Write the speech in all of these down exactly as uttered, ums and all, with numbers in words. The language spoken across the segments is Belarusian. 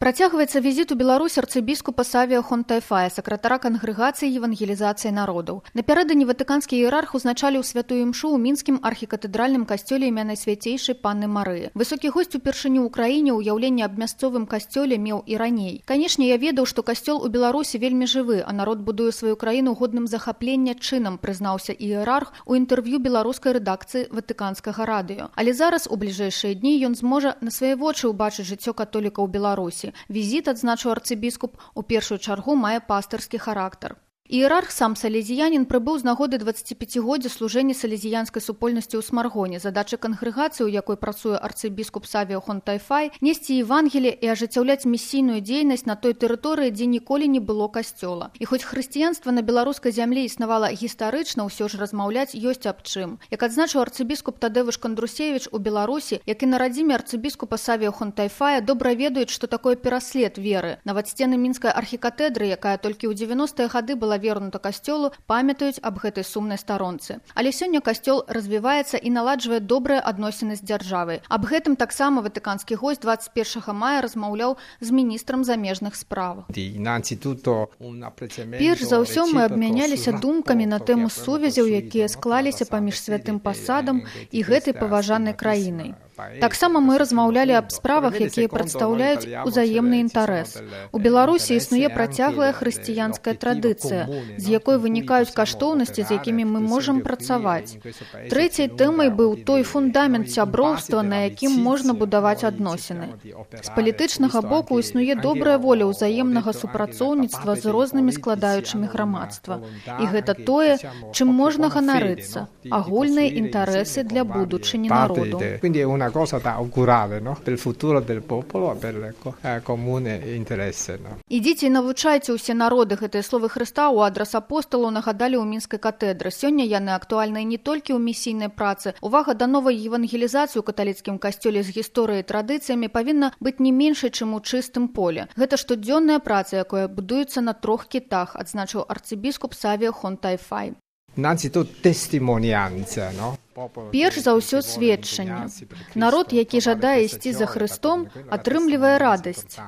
Працягваецца візіт у Беларусь арцыбіскупа Савія Хонтайфая, сакратара кангрэгацыі евангелізацыі народаў. Напярэдадні ватыканскі іерарх узначаліў святую імшу ў мінскім архікатэдральным касцёле імя Найсвяцейшай Панны Марыі. Высокі госць упершыню ў краіне ўяўленне аб мясцовым касцёле меў і раней. Канешне, я ведаў, што касцёл у Беларусі вельмі жывы, а народ будуе сваю краіну годным захаплення чынам, прызнаўся іерарх у інтэрв'ю беларускай рэдакцыі ватыканскага радыё. Але зараз у бліжэйшыя дні ён зможа на свае вочы ўбачыць жыццё католікаў Беларусі. Візіт, адзначыў арцыбіскуп, у першую чаргу мае пастырскі характар. Іерарх, сам салезіянін, прыбыў з нагоды дваццаціпяцігоддзя служэння салезіянскай супольнасці ў Смаргоне. Задача кангрэгацыі, у якой працуе арцыбіскуп Савія Хонтайфай, несці евангелие і ажыццяўляць місійную дзейнасць на той тэрыторыі, дзе ніколі не было касцёла. І хоць хрысціянства на беларускай зямлі існавала гістарычна, ўсё ж размаўляць ёсць аб чым. Як адзначыў арцыбіскуп Тадэвыш Кандрусевіч, у Беларусі, як і на радзіме арцыбіскупа Савія Хонтайфая, добра ведаюць, што такое пераслед веры. Нават сцены мінскай архікатэдры, якая толькі ў дзевяностыя гады была вернута касцёлу, памятаюць аб гэтай сумнай старонцы. Але сёння касцёл развіваецца і наладжвае добрыя адносіны з дзяржавай. Аб гэтым таксама ватыканскі госць дваццаць першага мая размаўляў з міністрам замежных спраў. Перш за ўсё мы абмяняліся думкамі на тэму сувязяў, якія склаліся паміж святым пасадам і гэтай паважанай краінай. Таксама мы размаўлялі аб справах, якія прадстаўляюць узаемны інтарэс. У Беларусі існуе працяглая хрысціянская традыцыя, з якой вынікаюць каштоўнасці, з якімі мы можам працаваць. Трэцяй тэмай быў той фундамент сяброўства, на якім можна будаваць адносіны. З палітычнага боку існуе добрая воля ўзаемнага супрацоўніцтва з рознымі складаючымі грамадства. І гэта тое, чым можна ганарыцца – агульныя інтарэсы для будучыні народу. Una cosa da augurare, no? Per il futuro del popolo, per il eh, comune interesse. No? Ідзіце і навучайце ўсе народы. Гэтыя словы Хрыста ў адрас апосталаў нагадалі ў мінскай катедры. Сёння яны актуальныя не толькі ў місійнай працы. Увага да новай евангелізацыі ў каталіцкім касцёле з гісторыяй і традыцыямі павінна быць не меншай, чым у чыстым поле. Гэта штодзённая праца, якая будуецца на трох кітах, адзначыў арцыбіскуп Савія Хонтайфай. Innanzitutto testimonianza, no? Перш за ўсё сведчанне. Народ, які жадае ісці за Хрыстом, атрымлівае радасць.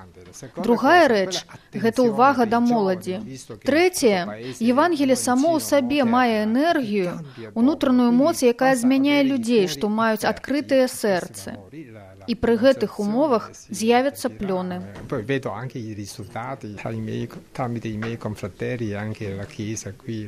Другая рэч – гэта ўвага да моладзі. Трэцяе – Евангелие само ў сабе мае энергію, унутраную моц, якая змяняе людзей, што маюць адкрытыя сэрцы. І пры гэтых умовах з'явяцца плёны.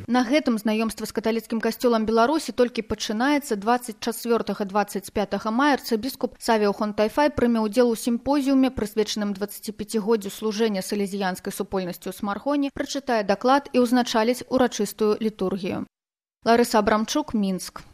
На гэтым знаёмства з каталіцкім касцёлам Беларусі толькі пачынаецца. дваццаць чацвёртага - дваццаць пятага мая арцыбіскуп Савія Хонтайфай прыме ўдзел у сімпозіуме, прысвечаным дваццаціпяцігоддзю служэння салезіянскай супольнасці ў Смаргоне, прачытае даклад і ўзначаліць урачыстую літургію. Ларыса Абрамчук, Мінск.